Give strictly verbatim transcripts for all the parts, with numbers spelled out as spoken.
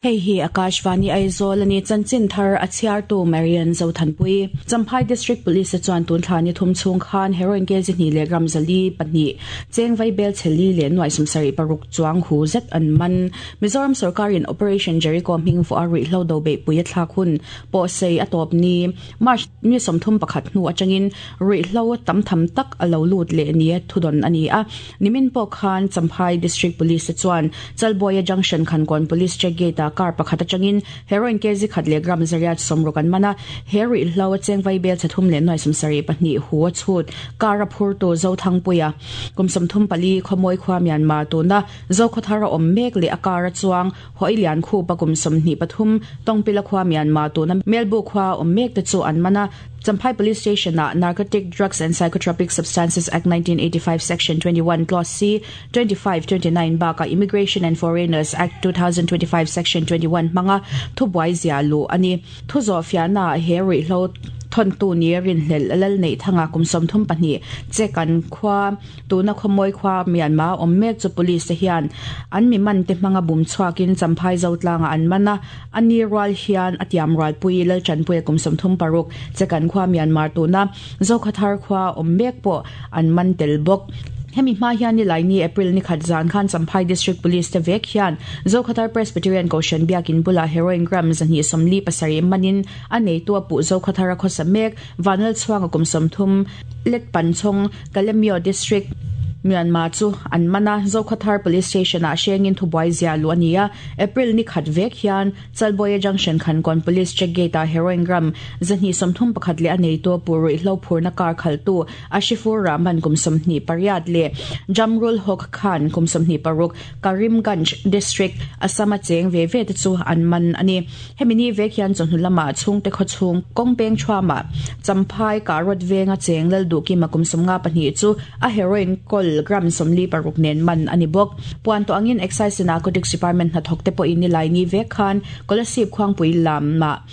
Hei hi Akashvani Aizawl ani chanchin thar a chhiartu Marian Zothanpui. Champhai District Police chuan tun thla ni thum chung khan heroin kg hnih leh gram zali pahnih cheng vai bel cheli leh nuai sawmsarih paruk chuang hu zet an man. Mizoram sarkarin Operation Jericho hming fu a ruihhlo do beihpui a thlak hun pawh sei a tawp ni March ni sawmthum pakhat hnu atangin ruihhlo tam tham tak a lo lut leh ni thudawn ani a. Nimin pawh khan Champhai District Police chuan Chalbuaia Junction Khankawn Police Check Gate a kar pakhat atangin heroin kg khat leh gram zariat sawmruk an mana he ruihhlo cheng vai bel chathum leh nuai sawmsarih pahnih hu a chhut kar a phurtu Zothangpuia kum sawmthum pali khawmawi khua Myanmar tuna Zokhawthar a awm mek leh a kar a chuang Hawilian khupa kum sawmhnih pathum Tawngpila khua Myanmar tuna Melbu khua awm mek te chu an mana. Champhai Police Station a Narcotic Drugs and Psychotropic Substances Act nineteen eighty-five Section twenty-one Clause C twenty-five twenty-nine baka Immigration and Foreigners Act two thousand twenty-five Section twenty-one manga thubuai zia lu ani thuzo fiana he ruihhlo thon tu ni rin hlel lal nei thanga kum sawmthum pahnih chekan khwa tuna khawmawi khua Myanmar awm mek chu police te hian an mi man te hmanga bum chhuakin Champhai Zotlanga an mana ani rual hian atiam rual pui lal chanpui kum sawmthum paruk chekan khua Myanmar tuna Zokhawthar khua awm mek pawh an man tel bawk. Hemi hma hian ni lai ni April ni khat zan khan Champhai District Police te vek hian Zokhawthar Presbyterian Kohhran biakin bula heroin gram zahnih sawmli pasarih manin a neitu a puh Zokhawthar a khawsa mek Vanal chhuanga kum sawmthum let panchhawng Kalemyo District Myanmar chu an mana Zokhawthar Police Station a hrengin thubuai zia lu ani a. April ni khat vek hian Chalbuaia Junction Khankawn Police Check Gate a heroin gram zahnih sawmthum pakhat leh a neitu a puh ruihhlo phurna kar khaltu Ashifur Rahman kum sawmhnih pariat leh Jamrul Hok Khan kum sawmhnih paruk Karimganj District Assam a cheng ve ve te chu an man ani. Hemi ni vek hian chawhnu lama chhungte khawchhung kawngpeng thuama Champhai Karot venga cheng lal duhkima kum sawmnga pahnih chu a heroin kawl gram sawmli paruk nen man ani bawk. Puan to angin Excise and Narcotics Department hnathawk te pawh in ni lai ni vek khan Kolasib khuangpui lamah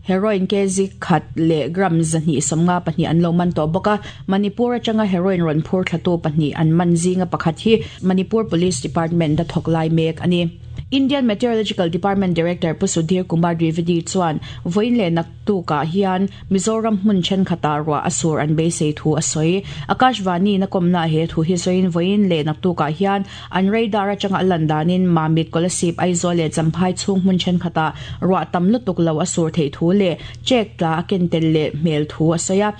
heroin kg khat leh gram zahnih sawmnga pahnih an lo man tawh bawk a. Manipur atanga heroin rawn phur thlatu pahnih an man zinga pakhat hi Manipur Police Department a thawk lai mek ani. Indian Meteorological Department Director Pu Sudhir Kumar Dwivedi chuan vawiin leh naktukah hian Mizoram hmun thenkhatah ruah a sur an beisei thu a sawi. Akashvani na kawmna he thu hi sawiin vawiin leh naktukah hian an radar atanga a lan danin Mamit Kolasib Aizawl leh Champhai chhung hmun thenkhatah ruah tam lutuk lo a sur theih thu leh chek tla a ken tel leh hmel thu a sawi a.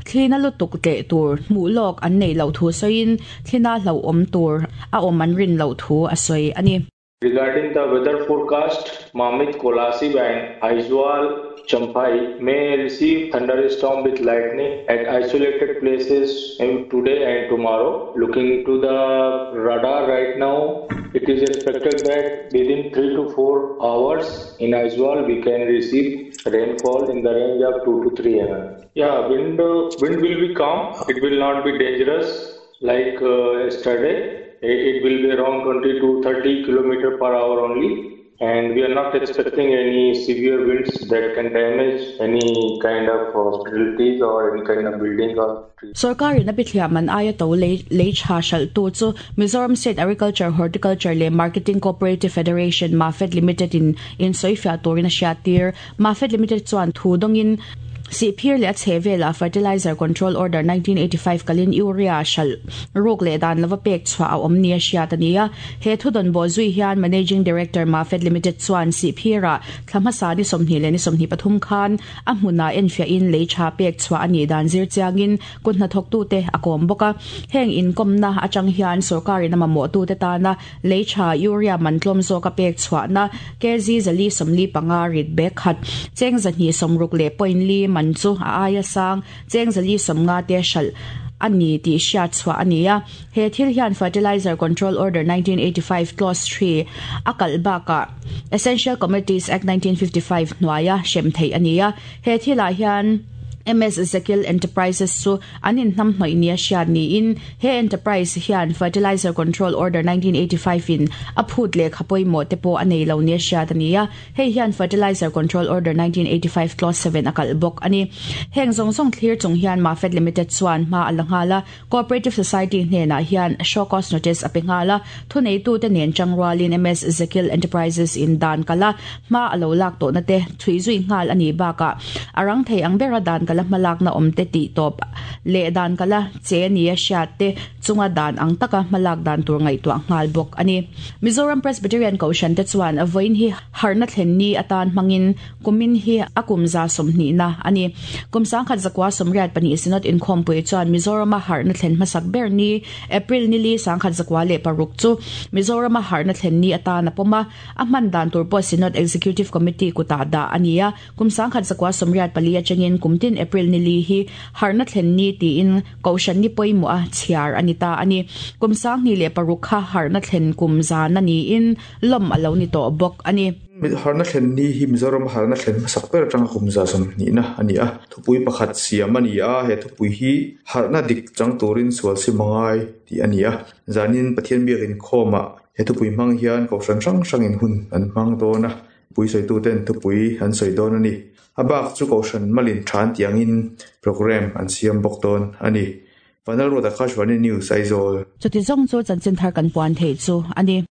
Thlina lutuk tleh tur hmuh lawk an nei lo thu sawiin thlina hlo awm tur a awm an rin lo thu a sawi ani. Regarding the weather forecast, Mamit, Kolasib and Aizawl, Champhai may receive thunderstorm with lightning at isolated places in today and tomorrow. Looking to the radar right now, it is expected that within three to four hours in Aizawl we can receive rainfall in the range of two to three millimeters. Yeah, wind, uh, wind will be calm. It will not be dangerous like uh, yesterday. It will be around twenty to thirty kilometers per hour only, and we are not expecting any severe winds that can damage any kind of hospitalities or any kind of building or tree. Sarkarin a bithliam an aia to lei lei tha hral tu chu Mizoram State Agriculture Horticulture le Marketing Cooperative Federation Mafed Limited in in soifia turin a hriattir. Mafed Limited chuan thu dawngin Sihphir leh a chhehvela Fertilizer Control Order nineteen eighty-five kalin urea hral ruk leh dan lova pek chhuah a awm ni a hriat ani a. He thudawn bawh zui hian Managing Director Mafed Limited chuan Sihphira thla hmasa ni sawmhnih leh ni sawmhnih pathum khan a hmunah enfiahin lei tha pek chhuah ani dan zir chiangin kut hnathawk te a kawm bawk a. Heng inkawmna atang hian sarkarin a mamawh tu te tana lei tha urea man tlawm zawk a pek chhuahna kg zali sawmli panga rit bek khat cheng zahnih sawmruk leh point li man chu a aia sang cheng zali sawmnga te hral ani ti hriat chhuah ani a. He thil hian Fertilizer Control Order nineteen eighty-five Clause three a kalh bakah Essential Commodities Act nineteen fifty-five hnuaia hrem theih ani a. He thilah hian M S Zekil Enterprises chu anin hnam hnoi nia hriat niin he enterprise hian Fertilizer Control Order nineteen eighty-five in a phut le khapoi mo te po anei lo nia hriat ania. Hei hian Fertilizer Control Order nineteen eighty-five clause seven akal bok ani. Heng zong zong thlir chung hian Mafed Limited chuan ma alanghala Cooperative Society hnena hian show cause notice a pengala thunei tu te nen changwalin M S Zekil Enterprises in dan kala ma alo lak to na te thui zui ngal ani baka arang thei ang bera dan kala malak na omte ti top le dan kala che ni a sha te chunga dan ang taka malak dan tur ngai to ngal bok ani. Mizoram Presbyterian Koshan te chuan avoin hi harna thlen ni atan mangin kumin hi akum za somni na ani. Kum sang khat zakwa somriat pani Synod in khompui chuan Mizoram a harna thlen masak ber ni April ni li sang khat zakwa le paruk chu Mizoram a harna thlen ni atan apoma a man dan tur po Synod Executive Committee kuta da ania. Kum sang khat zakwa somriat pali achangin kumtin April ni li hi harna thlen ni ti in koshan ni poimo a chiar anita ani. Kum sang ni le paruk kha harna thlen kum za na ni in lom alo ni to bok ani. Harna thlen ni hi Mizoram harna thlen sak ber atanga kum za som ni na ani a. Thupui pakhat siam ani a. He thupui hi harna dik chang turin sual si mangai ti ani a. Zanin Pathian biakin khoma he thupui mang hian ko hrang hrang hrangin hun an mang dona pui soi tu ten thupui an soi don ani. Abak chu ko hran malin than tiangin program an siam bok don ani. Panel ro da Khashwani News, Aizawl. Chuti zong chu chanchin thar kan puan thei chu ani.